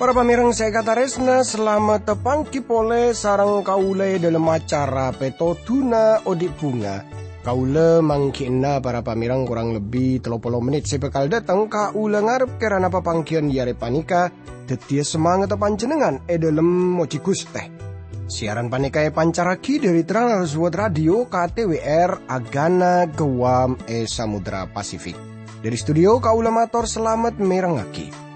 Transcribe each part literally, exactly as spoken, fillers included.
Para pamèrèng sè èkatarèsna, salamet tapangghi polè sareng kaulâ è dhâlem acara Pètodhuna Odi' Bhunga. Kaulâ mangghi'na para pamèrèng korang lebbi tello polo mennit sè bhâkal dâteng. Kaulâ ngarep kèrana papangghiyân è arè panèka dhâddhiyâ samangatta panjhennengngan è dhâlem mojhi Ghustè. Siaran panèka èpancarraghi dhâri Trans World Radio K T W R Agana Guam è Samudra Pasifik. Dhâri studio kaulâ mator salamet mèrengngaghi.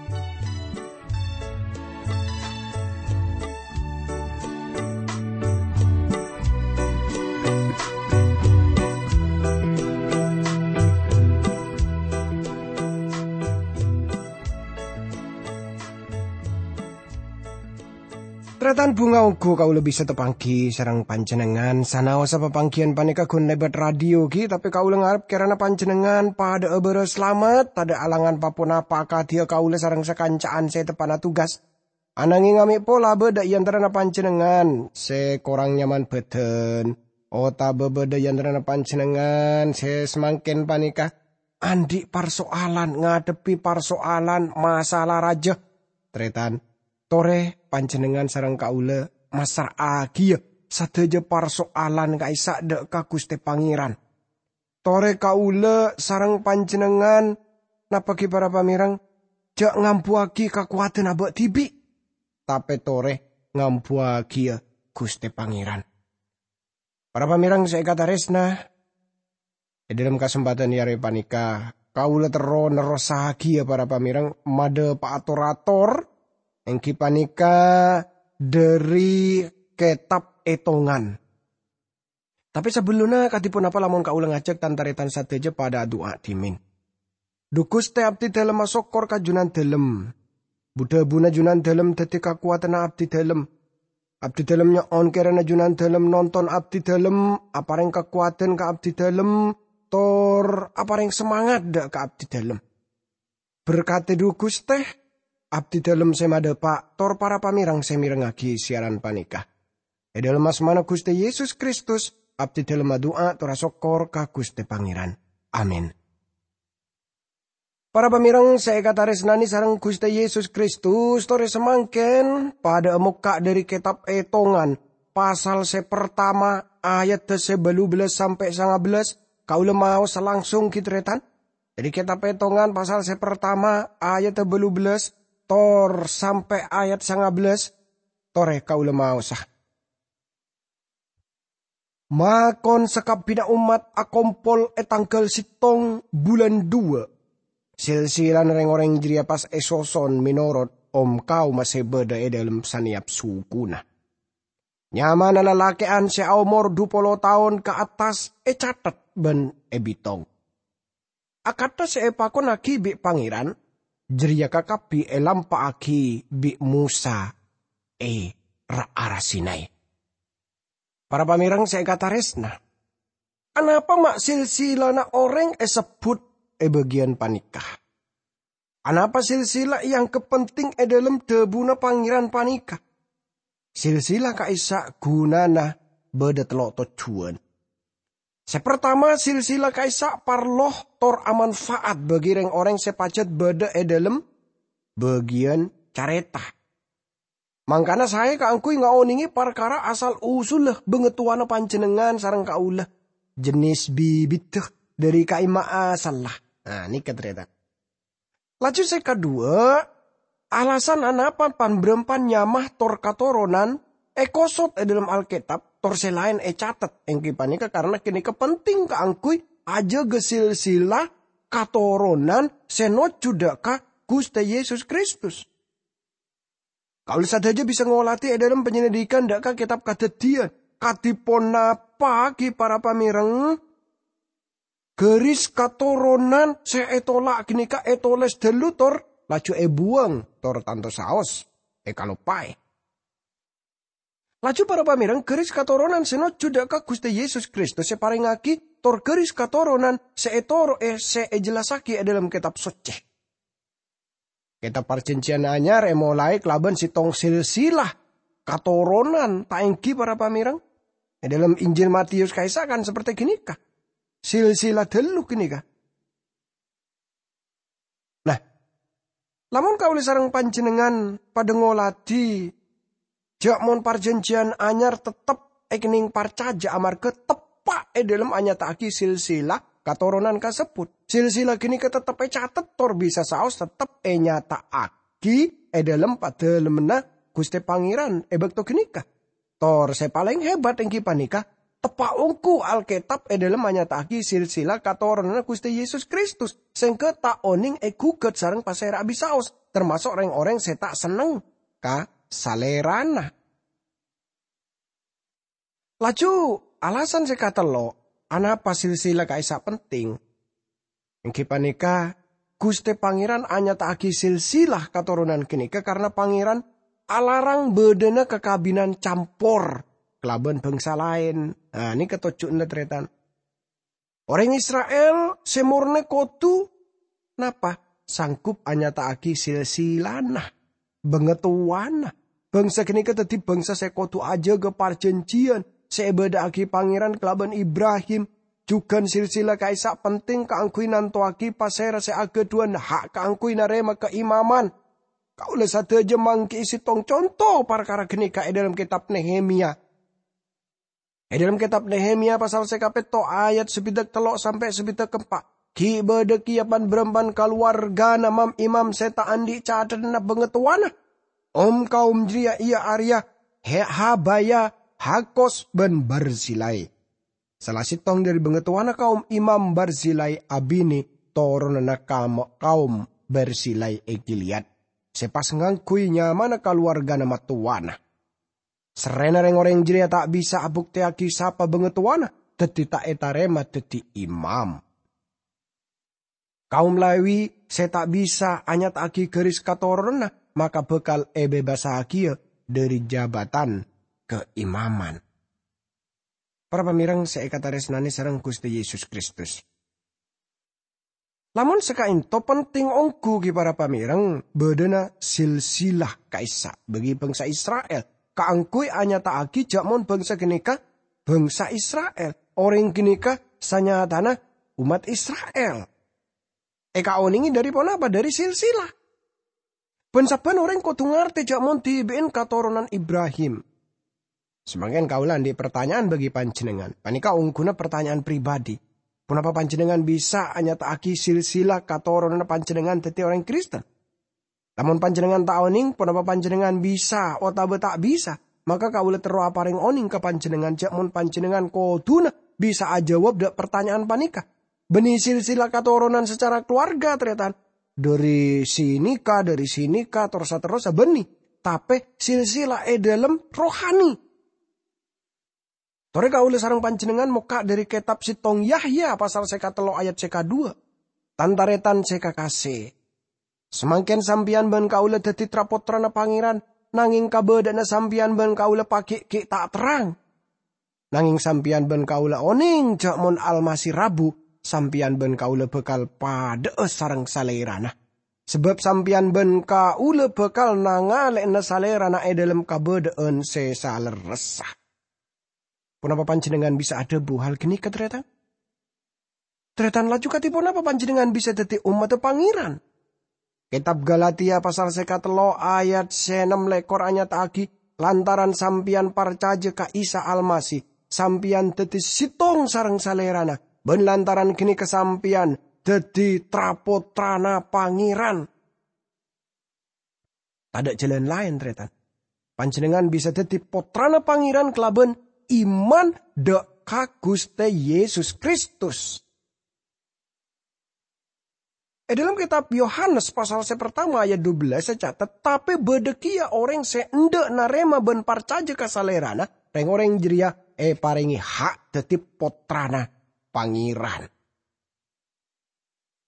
Tarètan bhunga ongghu kaulâ bisa tapangghi sareng panjhennengngan. Sanaossa papangghiyân panèka ghun lèbât radio, ghi, tapè kaulâ ngarep kèrana panjhennengngan padhâ'â bârâs salamet, tadâ' alangan pa-ponapa akadhiyâ kaulâ sareng sakanca'an sè teppa'na tugas. Ananghing amè' pola bâdâ è antarana panjhennengngan sè korang nyaman bhâdhân, otabâ bâdâ è antarana panjhennengngan sè samangkèn panèka andi' parsoalan, ngadhebbhi parsoalan masalah rajâ. Tarètan, torè panjhennengngan sareng kaulâ massra'aghiyâ sadhâjâ parsoalan ka'issa' dâ' ka Ghustè Pangèran. Torè kaulâ sareng panjhennengngan, napa ghi para pamèrèng, jhâ' ngambuwâghi kakowadhân abâ' dhibi', tapè torè ngambuwâghiyâ Ghustè Pangèran. Para pamèrèng sè èkatarèsna, è dhâlem kasempadhân è arè panèka, kaulâ terro nerrossaghiyâ para pamèrèng madhâpa'a tor-ator, èngghi panèka dhâri Kètab Ètongan. Tapè sabellunna, kadhi ponapa lamon kaulâ ngajhâk tan-tarètan sadhâjâ padhâ adu'a dhimèn? Dhu Ghustè, abdhidhâlem asokkor ka Jhunandhâlem. Bu-dhâbuna Jhunandhâlem dhâddhi kakowadhânna abdhidhâlem. Abdhidhâlem nyo'on kèrana Jhunandhâlem nonton abdhidhâlem, aparèng kakowadhân ka abdhidhâlem, tor aparèng samangat dâ' ka abdhidhâlem. Berkadhi dhu Ghustè, abdhidhâlem sè madhâpa', tor para pamèrèng sè mèrengngaghi siaran panèka. È dhâlem asmana Ghustè Yesus Kristus, abdhidhâlem adu'a tor asokkor ka Ghustè Pangèran. Amin. Para pamèrèng sè èkatarèsnanè sareng Ghustè Yesus Kristus, torè samangkèn padhâ'â mokka' dhâri Kètab Ètongan, pasal sè partama, ayaddhâ sè bâllu bellâs sampè' sanga bellâs, kaulâ maosa langsung ghi tarètan. Dhâri Kètab Ètongan pasal sè partama, ayaddhâ bâllu bellâs, tor sampè' ayat sanga bellâs, torè kaulâ maosa. Makon sakabbhiyânna ommat akompol è tangghâl sèttong bulân dhuwâ'. Silsilana rèng-orèng jârèya pas èsoson mènorot om-kaoma sè bâdâ è dhâlem sanèyap sukuna. Nyamana lalakè'an sè aomor dhu polo taon ka attas ècatet bân èbitong. Akantha sè èpakonnaghi bi' Pangèran, jârèya kakabbhi èlampa'aghi bi' Mosa è ra-ara Sinai. Para pamèrèng sè èkatarèsna, anapa ma' silsilana orèng èsebbhut è bâgiyân panèka? Anapa silsila èangghep penting è dhâlem dhâbuna Pangèran panèka? Silsila ka'issa' ghunana bâdâ tello' tojjhuwân. Sè partama, silsila ka'issa' parlo tor amanfa'at bagi rèng-orèng sè pajhât bâdâ è dhâlem bâgiyân carèta. Mangkana saè kaangghuy ngaonèngè parkara asal-usulla bhângatowana panjhennengngan sareng kaulâ, jhânès bibiddhâ dhâri ka'imma asalla. Nah, nèka tarètan. Laju sè kaduwâ', alasan anapa pan-bârâmpan nyama tor katoronan èkosot è dhâlem Alkètab, tor sè laèn ècatet, èngghi panèka karana ghânèka penting kaangghuy ajâgâ silsila katoronan sè nojjhu dâ' ka Ghustè Yesus Kristus. Kaulâ sadhâjâ bisa ngolatè è dhâlem panyelidikan dâ' ka Kètab Kadhâddhiyân. Kadhi ponapa ghi para pamèrèng? Garis katoronan sè ètola' ghânèka ètolès dhâllu tor laju èbuwâng, tor tanto saos èkaloppaè. Laju para pamèrèng, garis katoronan sè nojjhu dâ' ka Ghustè Yesus Kristus èparèngngaghi, tor garis katoronan sè ètoro'è sè èjellassaghi è dhâlem Kètab Soccè. Kètab Parjhânjhiyân Anyar èmolaè kalabân sèttong silsila. katoronan, ta' ènggi para pamèreng? È dâlem Injil Matius ka'issa' kan saperte ghânèka. Silsila ghâllu ghânèka. Nah, lamon kaulâ sareng panjhennengngan padâ ngoladhi jhâ' mon parjhânjhiyân anyar tettep èkennèng parcajâ amarghâ teppa' è dâlem anyata'aghi silsila katoronan kasebbhut. Silsila ghânèka tettep ècatet tor bisa saos tettep ènyata'aghi è dâlem padâlemmanna Ghustè Pangèran è bâkto ghânèka. Tor sè palèng hebat ènggi panèka, teppa' ongghu Alkètab è dâlem anyata'aghi silsila katoronanna Ghustè Yesus Kristus, sèngghâ ta' onèng èghugât sareng pasèra bisaos, tamaso' rèng-orèng sè ta' senneng ka Salèrana. Laju, alasan sè katello', anapa silsila ka'issa' penting? Ènggi panèka, Ghustè Pangèran anyata'aghi silsila katoronan ghânèka karna Pangèran alarang bâdâna kakabinan campor kalabân bhângsa laèn. Nah, nèka tojjhuna, tarètan. Orèng Isra'il sè mornè kodhu napa? Sanggup anyata'aghi silsilana, bangatowana. Bhângsa ghânèka dhâddhi bhângsa sè kodhu ajâgâ parjhânjhiyân sè èbâdâ'aghi Pangèran kalabân Ibrahim. Jhughân silsila ka'issa' penting kaangghuy nantowaghi pasèra sè aghâdhuwân ha' kaangghuy narèma kaimaman. Kaulâ sadhâjâ mangghi'i sèttong conto parkara ghânèka è dâlem kètab Nehemia. È dâlem kètab Nehemia pasal sè kapètto' ayat sabidhâk tello' sampè' sabidhâk empa', ghi' bâdâ kèya pan-bârâmpan kalowarghâna mam-imam sè ta' andi' cathedhânna bangatowana. Om-kaom jârèya iyâ arèya He-, Habaya, Hakos, bân Barzilai. Sala sèttong dâri bangatowana kaom Imam Barzilai abinè toronanna kam-, kaom Barzilai è Gilead, sè pas ngangghuy nyamana kalowarghâna mattowana. Serrèna rèng-orèng jârèya ta' bisa abuktèyaghi sapa bangatowana, dhâddhi ta' ètarèma dhâddhi imam. Kaom Lewi sè ta' bisa anyata'aghi ghâris katoronanna, maka bhâkal èbebassaghiyâ dâri jabatan kaimaman. Para pamèreng sè èkatarèsnanè sareng Ghustè Yesus Kristus. Lamon sakaènto penting ongghu ghi para pamèreng bâdâna silsilah ka'issa' bagi bangsa Isra'il, kaangghuy anyata'aghi jhâ' mon bangsa ghânèka bangsa Isra'il. Orèng ghânèka sanyatana ommat Isra'il. Èkaonèngè dâri ponapa? Dâri silsilah. Bân sabbhân orèng kodhu ngartè jhâ' mon dhibi'en katoronan Ibrahim. Samangkèn kaulâ andi' partanya'an bagi panjhennengngan. Panèka ongghuna partanya'an pribadi. Ponapa panjhennengngan bisa anyata'aghi silsilah katoronanna panjhennengngan dhâddhi orèng Kristen? Lamon panjhennengngan ta' onèng ponapa panjhennengngan bisa otabâ ta' bisa, maka kaulâ terro aparèng onèng ka panjhennengngan jhâ' mon panjhennengngan kodhuna bisa ajâwâb dâ' partanya'an panèka. Bânnè silsilah katoronan sacara kalowarga, tarètan. Dâri sinèka, dâri sinèka, tor saterrossa bânnè. Tapè silsilah è dâlem rohani. Torè kaulâ sareng panjhennengngan mokka' dâri kètab sèttong Yahya pasal sè katello' ayat sè kaduwâ'. Tan-tarètan sè kakasè, samangkèn sampèyan bân kaulâ dhâddhi tra-pottrana Pangèran, nangèng kabâdâ'ânna sampèyan bân kaulâ paghi' ghi' ta' terrang. Nangèng sampèyan bân kaulâ onèng jhâ' mon Almasih rabu, sampèyan bân kaulâ bhâkal padhâ'â sareng Salèrana. Sabâb sampèyan bân kaulâ bhâkal nangalè'ana Salèrana è dâlem kabâdâ'ân sè salerressa. Ponapa panjhennengngan bisa adhâbu hal ghânèka, tarètan? Tarètan, laju kadhi ponapa panjhennengngan bisa dhâddhi ommaddhâ Pangèran? Kètab Galatia pasal sè katello' ayat sè ennem lèkor anyata'aghi, lantaran sampèyan parcajâ ka Isa Almasih, sampèyan dhâddhi sèttong sareng Salèrana, bân lantaran ghânèka sampèyan dhâddhi tra-pottrana Pangèran. Tadâ' jhâlân laèn, tarètan. Panjhennengngan bisa dhâddhi pottrana Pangèran kalabân iman dâ' ka Ghustè Yesus Kristus. È dâlem kètab Yohanes pasal sè partama ayat dua belas ècatet, "Tapè bâdâ kèya orèng sè endâ' narèma bân parcajâ ka Salèrana, rèng-orèng jârèya èparèngè ha' dhâddhi pottrana Pangèran."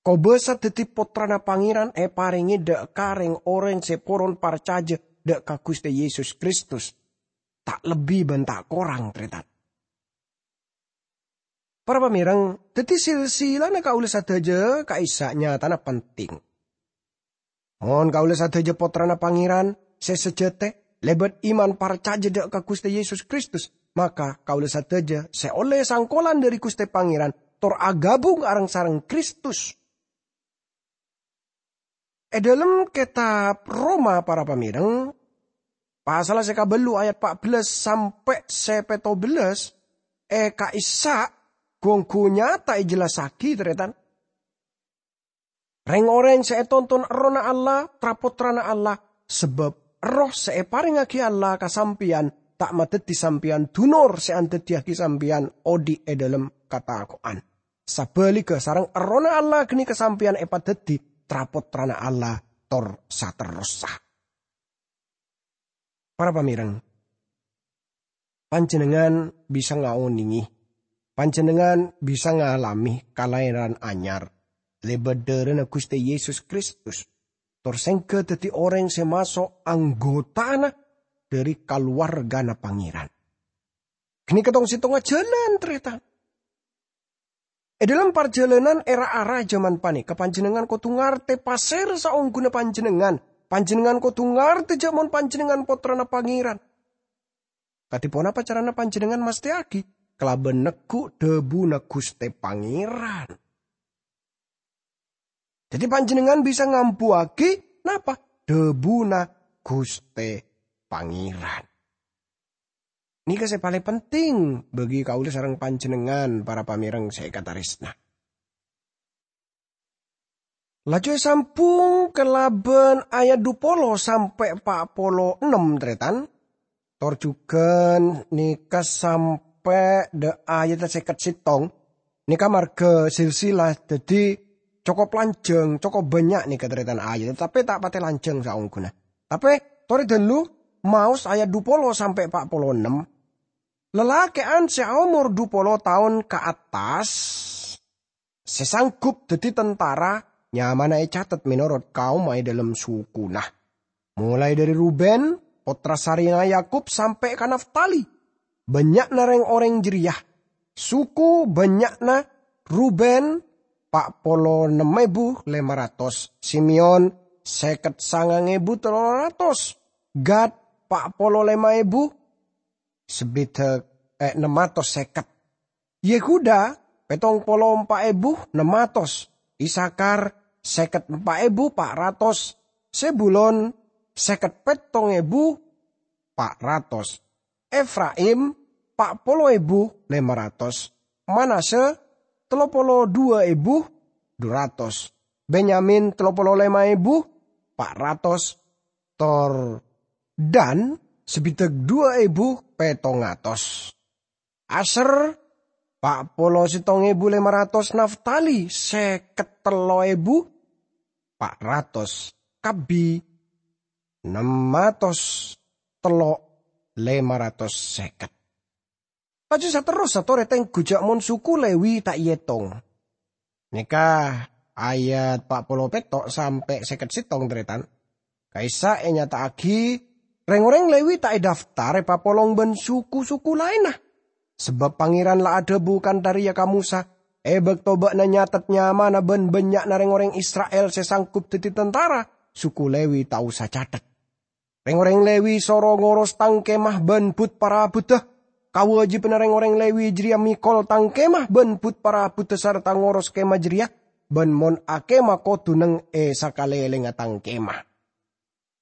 Kobâsa dhâddhi pottrana Pangèran èparèngè dâ' ka rèng-orèng sè poron parcajâ dâ' ka Ghustè Yesus Kristus. Ta' lebbi bân ta' korang, tarètan. Para pamèreng, dhâddhi silsilana kaulâ sadhâjâ ka'issa' nyatana penting. Mon kaulâ sadhâjâ pottrana Pangèran sè sajhâtè, Lèbât iman parcajâ dâ' ka Ghustè Yesus Kristus, maka kaulâ sadhâjâ sè ollè sangkolan dâri Ghustè Pangèran tor aghâbung areng-sareng Kristus. È dhâlem kètab Roma, para pamèreng, pasalla sè kabâllu ayat pa' bellâs sampè' sè pètto bellâs, è ka'issa' ghun-ghun nyata èjellassaghi, tarètan. Rèng-orèng sè ètonton Errohna Allah, tra-pottrana Allah, sabâb Erroh sè èparèngaghi Allah ka sampèyan ta' madhâddhi sampèyan dunor sè andhâddhiyâghi sampèyan odi' è dhâlem katako'an. Sabhâligghâ, sareng Errohna Allah ghânèka sampèyan èpadhâddhi tra-pottrana Allah tor saterrossa. Para pamèreng, panjhennengngan bisa ngaonèngè, panjhennengngan bisa ngalamè kalaèran anyar lèbât dârâna Ghustè Yesus Kristus, tor sèngghâ dhâddhi orèng sè maso' anggotana dâri kalowarghâna Pangèran. Ghânèka tong-sèttongnga jhâlân, tarètan. È dhâlem parjhâlânan è ra-ara jhâman panèka, panjhennengngan kodhu ngartè pasèra saongghuna panjhennengngan. Panjhennengngan kodhu ngartè jhâ' mon panjhennengngan pottrana Pangèran. Kadhi ponapa carana panjhennengngan mastèyaghi? Kalabân neggu' dhâbuna Ghustè Pangèran. Dhâddhi, panjhennengngan bisa ngambuwâghi napa? Dhâbuna Ghustè Pangèran. Nèka sè palèng penting bagi kaulâ sareng panjhennengngan, para pamèreng sè èkatarèsna. Laju èsambhung kalabân ayat dhu polo sampè' pa' polo ennem, tarètan. Tor jhughân nèka sampè' dâ' ayat sèket sèttong. Nèka marghâ silsilah, dhâddhi cokop lanjhâng, cokop bânnya' nèka tarètan ayat, tapè ta' patè lanjhâng saongghuna. Tapè torè dhâllu, maos ayat dhu polo sampè' pa' polo ennem. Lalakè'an sè aomor dhu polo taon ka attas, sè sanggup dhâddhi tantara, nyamana ècatet mènorot kaomma è dhâlem sukuna. Molaè dhâri Ruben, pottra sarèna Yakub, sampè' ka Naftali. Bânnya'na rèng-orèng jârèya. Suku bânnya'na: Ruben, pa' polo ennem èbu lèma ratos; Simeon, sèket sangang èbu tello ratos; Gad, pa' polo lèma èbu sabidhâk, eh, ennem atos sèket; Yehuda, pèttong polo empa' èbu ennem atos; Isakhar, sèket empa' èbu pa' ratos; Zebulon, sèket pèttong èbu pa' ratos; Efraim, pa' polo èbu lèma ratos; Manasya, tello polo dhuwâ èbu dhu ratos; Benyamin, tello polo lèma èbu pa' ratos; tor Dan, sabidhâk dhuwâ èbu pèttong atos; Asyer, pa' polo sèttong èbu lèma ratos; Naftali, sèket tello èbu pa' ratos; Kabbi, ennem atos tello lèma ratos sèket. Laju saterrossa torè tèngghu jhâ' mon suku Lewi ta' èètong. Nèka ayat pa' polo pètto' sampè' sèket sèttong, tarètan. Ka'issa' ènyata'aghi rèng-orèng Lewi ta' èdaftar èpapolong bân suku-suku laènna. Sabâb Pangèran la adhâbu kantha rèya ka Mosa, "È bâkto bâ'na nyatet nyamana bân bânnya'na rèng-orèng Isra'il sè sanggup dhâddhi tantara, suku Lewi ta' osa catet." Rèng-orèng Lewi soro ngoros Tang Kemah bân but-parabuddhâ. Kawâjibhânna rèng-orèng Lewi jârèya mèkol Tang Kemah bân but-parabuddhâ sarta ngoros Kemah jârèya, bân mon akemah kodhu neng è sakalèlèngnga Tang Kemah.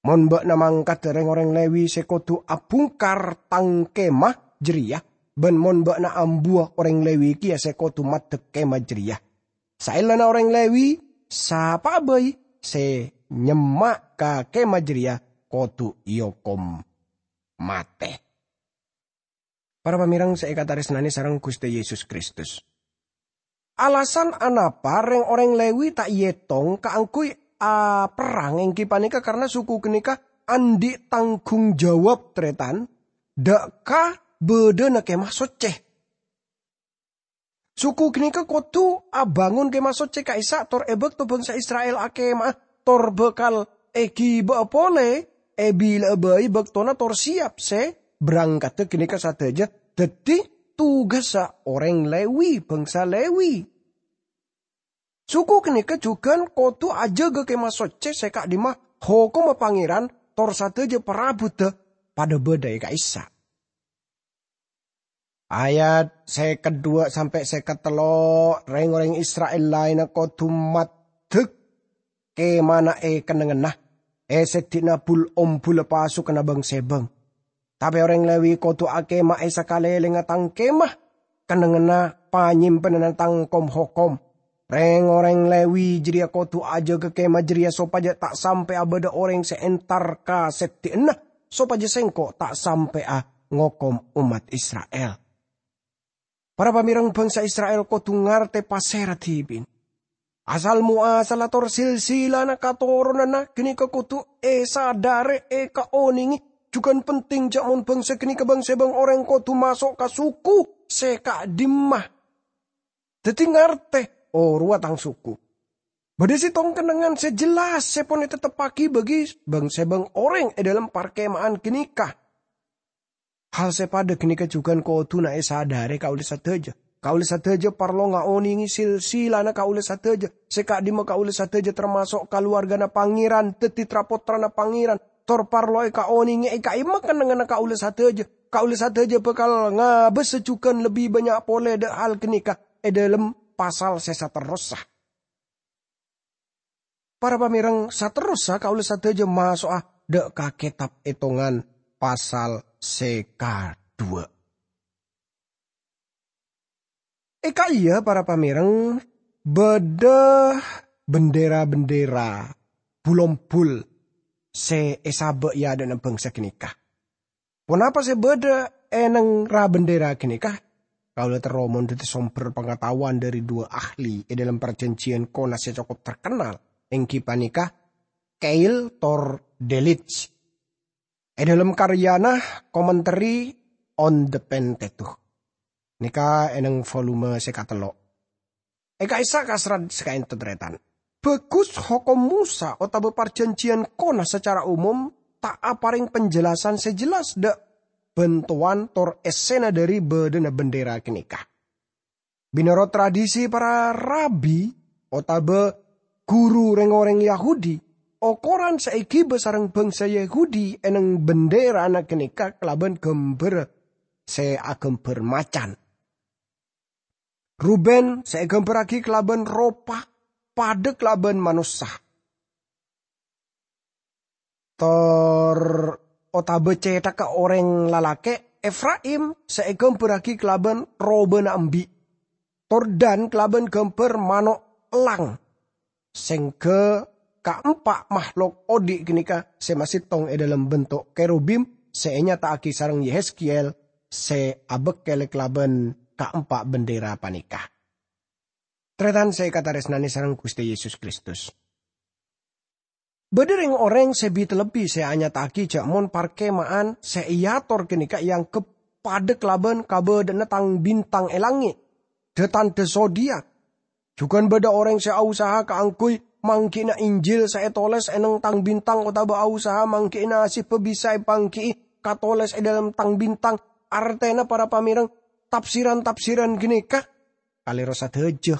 Mon bâ'na mangkaddhâ rèng-orèng Lewi sè kodhu abhungkar Tang Kemah jârèya, bân mon bâ'na ambuwâ orèng Lewi kèya sè kodhu maddhek Kemah jârèya, saellana orèng Lewi, sapa'a bhâi sè nyemma' ka Kemah jârèya kodhu èokom matè. Para pamèreng sè èkatarèsnanè sareng Ghustè Yesus Kristus, alasan anapa rèng-orèng Lewi ta' èètong kaangghuy aperrang èngghi panèka karna suku ghânèka andi' tanggung jawab, tarètan, dâ' ka bâdâna Kemah Soccè. Suku ghânèka kodhu abângon Kemah Soccè ka'issa' tor è bâkto bhângsa Isra'il akema'a, tor bhâkal èghibâ'â polè, èbila'a bhâi bâktona tor sèyap sè brangkaddhâ ghânèka sadhâjâ dhâddhi tugassa orèng Lewi, bhângsa Lewi. Suku ghânèka jhughân kodhu ajâgâ Kemah Soccè sè ka'dimma hokomma Pangèran tor sadhâjâ parabuddhâ padâ bâdâ è ka'issa'. Ayat sèket duwâ' sampè' sèket tello', rèng-orèng Isra'il laènna kodhu maddhek kemana è kennengnganna, è sèddhi'na bul-ombhulla pasukanna bâng-sèbâng. Tapè orèng Lewi kodhu akemah è sakalèlèngnga tang kemah, kennengnganna panyèmpennanna tang kom-hokom. Rèng-orèng Lewi jârèya kodhu ajâgâ kemah jârèya sopajâ ta' sampè'a bâdâ orèng sè entar ka sèddhi'na, sopajâ sèngko' ta' sampè'a ngokom ommat Isra'il. Para pamèreng, bhângsa Isra'il kodhu ngartè pasèra dhibi'na. Asal-moasalla tor silsilana katoronanna ghânèka kodhu èsadhârè, èkaonèngè. Jhughân penting jâ' mon bhângsa ghânèka bâng-sèbâng orèng kodhu maso' ka suku sè ka'dimma. Dhâddhi ngartè, "Oh, rowa tang suku." Bâdâ sèttong kennengngan sè jelas sè pon ètetteppaghi bagi bâng-sèbâng orèng è dâlem parkema'an ghânèka. Hal sè padâ ghânèka jhughân kodhuna èsadhârè kaulâ sadhâjâ. Kaulâ sadhâjâ parlo ngaonèngè silsilana kaulâ sadhâjâ. Sè ka'dimma kaulâ sadhâjâ tamaso' kalowarghâna Pangèran, dhâddhi tra-pottrana Pangèran. Tor parlo èkaonèngè è ka'imma kennengnganna kaulâ sadhâjâ. Kaulâ sadhâjâ bhâkal ngabâsa jhughân lebbi bânnya' polè dâ' hal ghânèka è dâlem pasal sè saterrossa. Para pamèreng, saterrossa kaulâ sadhâjâ maso'a dâ' ka Kètab Ètongan pasal sè kadhuwâ'. È ka'iyâ, para pamèreng, bâdâ bendera-bendera bul-ombhul sè èsabâ' è adâ'na bhângsa ghânèka. Ponapa sè bâdâ è neng ra-bendera ghânèka? Kaulâ terro mon dhâddhi sombher pangataowan dhâri duwâ' ahli è dâlem Parjhânjhiyân Kona sè cokop terkennal, èngghi panèka Keil tor Delitzsch. È dâlem karyana Commentary on the Pentateuch. Nèka è neng volume sè katello'. È ka'issa' kaserrat sè ka'ento, tarètan. Bhâghus, Hokom Mosa otabâ Parjhânjhiyân Kona sacara umum ta' aparèng penjelasan sè jelas dâ' bhântowan tor èssèna dhâri bâdâna bendera ghânèka. Mènorot tradisi para rabi otabâ ghuru rèng-orèng Yahudi, okoran sè èghibâ sareng bhângsa Yahudi è neng benderana ghânèka kalabân ghâmbhâr sè aghâmbhâr macan. Ruben sè èghâmbhârraghi kalabân ropa padâ kalabân manossa. Tor otabâ cèthagghâ orèng lalakè', Efraim sè èghâmbhârraghi kalabân robâna embi'. Tor Dan kalabân ghâmbhâr mano' ellang. Sèngghâ kaempa' mahlok odi' ghânèka sè masèttong è dâlem bento' kerubim sè ènyata'aghi sareng Yehezkiel sè abâkkèl kalabân kaempa' bendera panèka. Tarètan sè èkatarèsnanè sareng Ghustè Yesus Kristus. Bâdâ rèng-orèng sè bi-talebbi sè anyata'aghi jâ' mon parkema'an sè èator ghânèka èangghep padâ kalabân kabâdâ'ânna tang-bintang è langngè', dâ-tandhâ zodiak. Jhughân bâdâ orèng sè ausaha kaangghuy mangghi'na Injil sè ètolès è neng tang-bintang otabâ ausaha mangghi'na asebbhâ bisa èpangghi'i katolès è dâlem tang-bintang, artèna para pamèreng, tafsiran-tafsiran ghânèka kalèro sadhâjâ.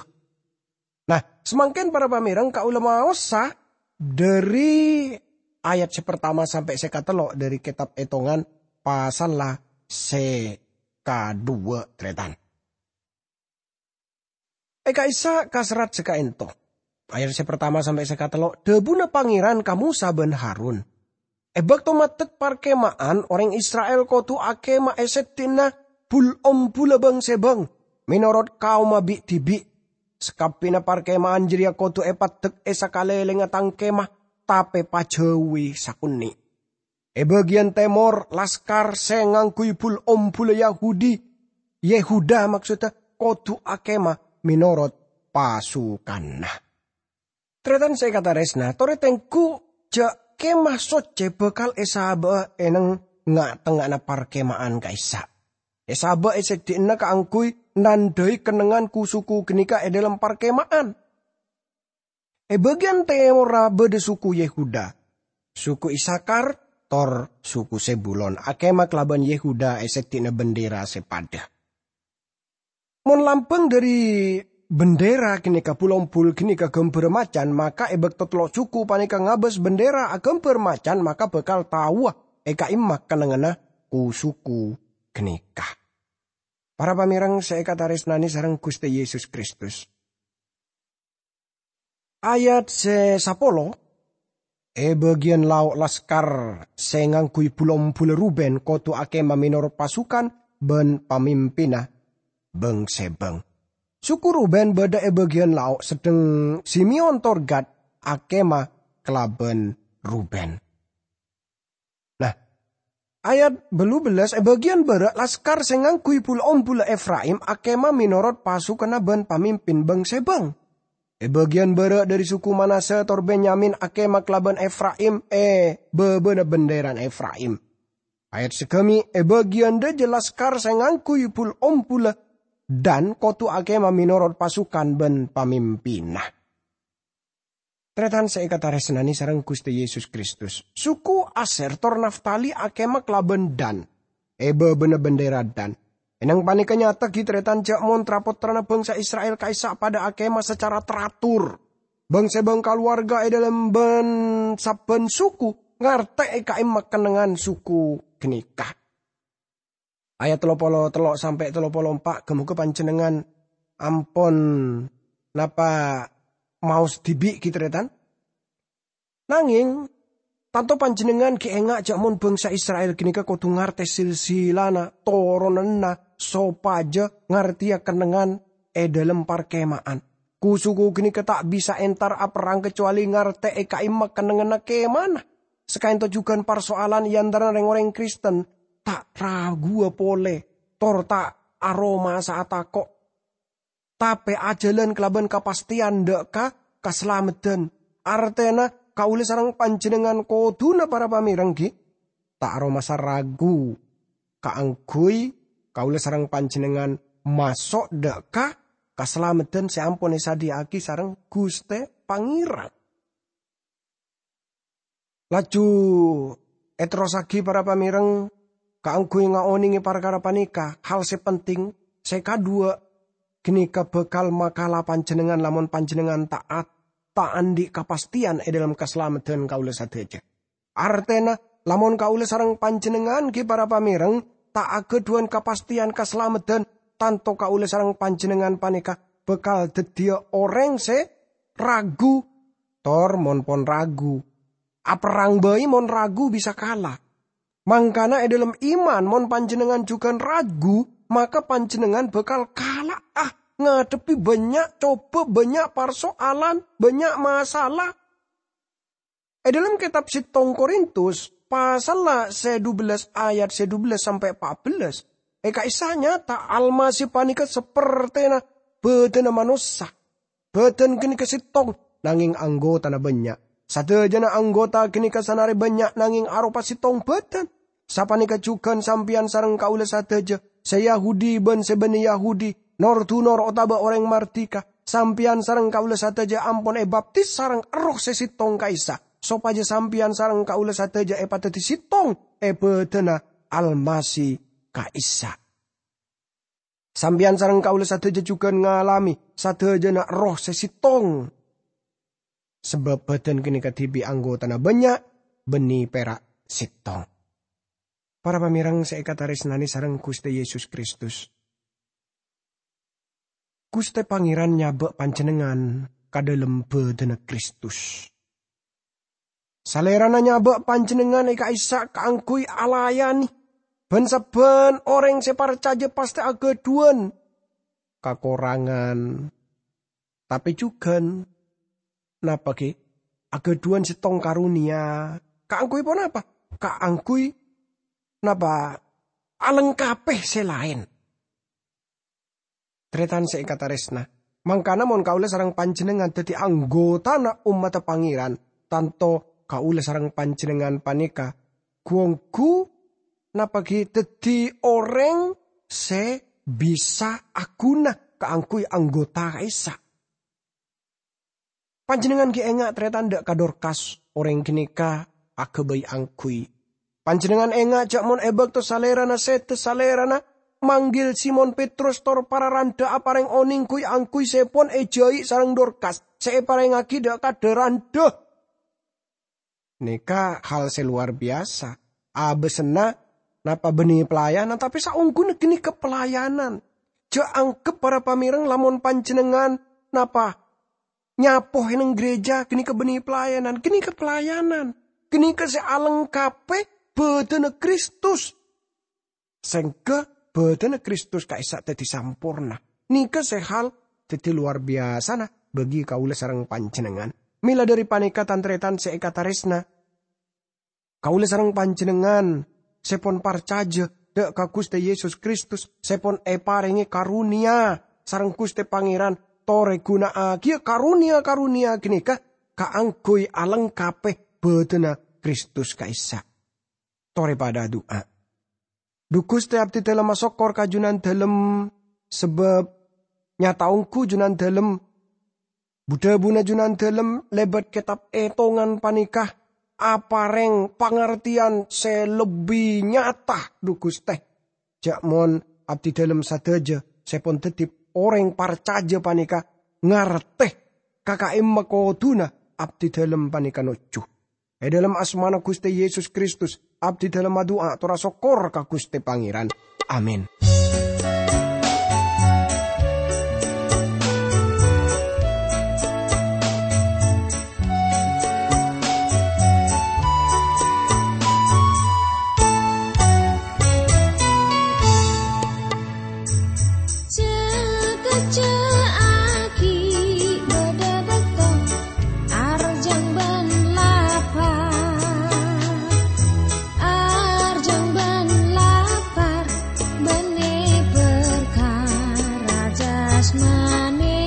Nah, samangkèn para pamèreng, kaulâ maosa dhâri ayat sè partama sampè' sè katello' dhâri Kètab Ètongan, pasalla sè kadhuwâ', tarètan. È ka'issa' kaserrat sè ka'ento. Ayat sè partama sampè' sè katello', dhâbuna Pangèran ka Mosa bân Harun. È bâkto maddhek parkema'an, orèng Isra'il kodhu akemah è sèddhinna bul-ombhulla bâng-sèbâng, mènorot kaomma bi-dhibi'. Sakabbhiyânna parkema'an jârèya kodhu èpaddhek è sakalèlèngnga tang kemah, tapè pajhâuwi sakonè'. È bâgiyân tèmor, laskar sè ngangghuy bul-ombhulla Yahudi, Yehuda maksodda, kodhu akemah mènorot pasukanna. Tarètan sè èkatarèsna, torè tengghu jâ' Kemah Soccè bhâkal èsabâ'â è neng nga'-tengnga'anna parkema'an ka'issa'. Èsabâ' è sèddhinna kaangghuy nandhâi kennengngan ku-suku ghânèka è dâlem parkema'an. È bâgiyân tèmorra bâdâ suku Yehuda, suku Isakhar, tor suku Zebulon. Akemah kalabân Yehuda è sèddhinna bendera sè padâ. Mon lambâng dhâri bendera ghânèka bul-ombhul ghânèka ghâmbhârrâ macan, maka è bâkto tello' suku panèka ngabâs bendera aghâmbhâr macan, maka bhâkal taowa è ka'imma kennengnganna ku-suku ghânèka. Para pamèreng sè èkatarèsnanè sareng Ghustè Yesus Kristus. Ayat sè sapolo, è bâgiyân lao' laskar sè ngangghuy bul-ombhulla Ruben kodhu akèma mènorot pasukan bân pamimpinna bâng-sèbâng. Suku Ruben bâdâ è bâgiyân lao', sedheng Simeon tor Gad akèma kalabân Ruben. Nah, ayat bâllu bellâs, è bâgiyân bârâ' laskar sè ngangghuy bul-ombhulla Efraim akèma mènorot pasukanna bân pamimpin bâng-sèbâng. È bâgiyân bârâ' dhâri suku Manasya tor Benyamin akèma kalabân Efraim è bâbâna bendherana Efraim. Ayat saghâmi', è bâgiyân dhâjâ laskar sè ngangghuy bul-ombhulla Dan kodhu akèma mènorot pasukan bân pamimpinna. Tarètan sè èkatarèsnanè sareng Ghustè Yesus Kristus, suku Asyer tor Naftali akèma kalabân Dan è bâbâna bendhera Dan. Èneng panèka nyata ghi tarètan jhâ' mon tra-pottrana bangsa Isra'il ka'issa' padâ akèma sacara teratur. Bâng-sèbâng kalowarga è dhâlem bân sabbhân suku ngartè è ka'imma kennengngan suku ghânèka. Ayat tello polo tello sampè' tello polo empa', ghâ-moghâ panjhennengngan ampon napa maos dhibi' ghi tarètan. Nangèng, tanto panjhennengngan ghi' enga' jhâ' mon bangsa Isra'il ghânèka kodhu ngartè silsilana toronanna sopajâ ngartèya kennengngan è dhâlem parkema'an. Ku-suku ghânèka ta' bisa entar aperrang kacobâli ngartè è ka'imma kennengnganna kemana. Sakaènto jhughân parsoalan è antarana rèng-orèng Kristen ta' raguwâ polè, tor ta' aromasa atako'. Tapè ajhâlân kalabân kapastèyan dâ' ka kasalameddhân. Artèna kaulâ sareng panjhennengngan kodhuna para pamèreng ghi' ta' aromasa ragu kaangghuy kaulâ sareng panjhennengngan maso' dâ' ka kasalameddhân sè ampon èsadhiyâ'aghi sareng Ghustè Pangèran. Laju èterrossaghi para pamèreng kaangghuy ngaonèngè parkara panèka, hal sè penting sè kaduwâ' ghânèka bhâkal makala panjhennengngan lamon panjhennengngan ta'at, ta' andi' kapastèyan è dhâlem kasalameddhân kaulâ sadhâjâ. Artèna, lamon kaulâ sareng panjhennengngan ghi' para pamèreng ta' aghâdhuwân kapastèyan kasalameddhân, tanto kaulâ sareng panjhennengngan panèka bhâkal dhâddhiyâ orèng sè ragu. Tor mon pon ragu, aperrang bhâi mon ragu bisa kala. Mangkana è dhâlem iman, mon panjhennengngan jhughân ragu, maka panjhennengngan bhâkal kala'a ngadhebbhi bânnya' cobâ, bânnya' parsoalan, bânnya' masalah. È dhâlem kètab settong Korintus, pasalla sè dubellâs ayat sè dubellâs sampè' pa'bellâs, è ka'issa' nyata Almasih panèka sapertèna bhâdhânna manossa. Bhâdhân ghânèka settong, nangèng anggotana bânnya'. Sadhâjâna anggota ghânèka sanarè bânnya', nangèng aropa settong bhâdhân. Sapanèka jhughân sampèyan sareng kaulâ sadhâjâ, sè Yahudi bân sè bânnè Yahudi, nor-dunor otabâ orèng mardhika, sampèyan sareng kaulâ sadhâjâ ampon èbaptis sareng Erroh sè settong ka'issa', sopajâ sampèyan sareng kaulâ sadhâjâ èpadhâddhi settong è bhâdhânna Almasih ka'issa'. Sampèyan sareng kaulâ sadhâjâ jhughân ngalamè sadhâjâna Erroh sè settong. Sabâb bhâdhân ghânèka dhibi' anggotana bânnya', bânnè pèra' settong. Para pamèreng sè èkatarèsnanè sareng Ghustè Yesus Kristus, Ghustè Pangèran nyabâ' panjhennengngan ka dhâlem bhâdhânna Kristus. Salèrana nyabâ' panjhennengngan è ka'issa' kaangghuy alayanè, bân sabbhân orèng sè parcajâ pastè aghâdhuwân kakorangan, tapè jhughân, napa ghi, aghâdhuwân settong karonèya. Kaangghuy ponapa? Kaangghuy, napa, alengkapè sè laèn. Tarètan sè èkatarèsna, mangkana mon kaulâ sareng panjhennengngan dhâddhi anggotana ommadhâ Pangèran, tanto kaulâ sareng panjhennengngan panèka ghu-ongghu, napa ghi, dhâddhi orèng sè bisa aghuna kaangghuy anggota ka'issa'. Panjhennengngan ghi' enga' tarètan dâ' ka Dorkas, orèng ghânèka aghâbây angghuy. Panjhennengngan enga' jhâ' mon è bâkto salèrana sèdhâ, salèrana manggil Simon Petrus tor para randhâ aparèng onèng ghuy-angghuy sè pon èjhâi' sareng Dorkas sè èparèngaghi dâ' ka dâ-randhâ. Nèka hal sè lowar biyasa. abâsana napa bânnè pelayanan, tapè saongghuna ghânèka pelayanan. Jhâ' angghep para pamèreng lamon panjhennengngan napa nyapo è neng gereja ghânèka bânnè pelayanan, ghânèka pelayanan. Ghânèka sè alengkapè bhâdhânna Kristus. Sèngghâ bhâdhânna Kristus ka'issa' dhâddhi samporna. Nèka sè hal dhâddhi lowar biyasana bagi kaulâ sareng panjhennengngan. Mèla dhâri panèka, tan-tarètan sè èkatarèsna, kaulâ sareng panjhennengngan sè pon parcajâ dhâ' ka Ghustè Yesus Kristus, sè pon èparèngè karonèya sareng Ghustè Pangèran, torè ghuna'aghiyâ karonèya-karonèya ghânèka kaangghuy alengkapè bhâdhânna Kristus ka'issa'. Torè padhâ adu'a. Dhu Ghustè, abdhi dhâlem asokkor ka Junandhâlem, sabâb nyata ongghu Junandhâlem, bu-dhâbuna Junandhâlem lèbât kètab ètongan panèka aparèng pangartèyan sè lebbi nyata, dhu Ghustè. Jhâ' mon abdhi dhâlem sadhâjâ sè pon dhâddhi orèng parcajâ panèka ngartè ka ka'imma kodhuna abdhi dhâlem panèka nojjhu. È dhâlem asmana Ghustè Yesus Kristus, abdhi dhâlem adu'a tor asokkor ka Ghustè Pangèran. Amin. Cè'-kècè'aghi bâdâ bâkto arjhâng bân lapar. Arjhâng bân lapar bânnè parkara jasmani.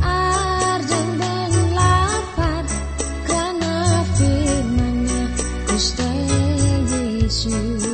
Arjhâng bân lapar krana firman-Nya Ghustè Yesus.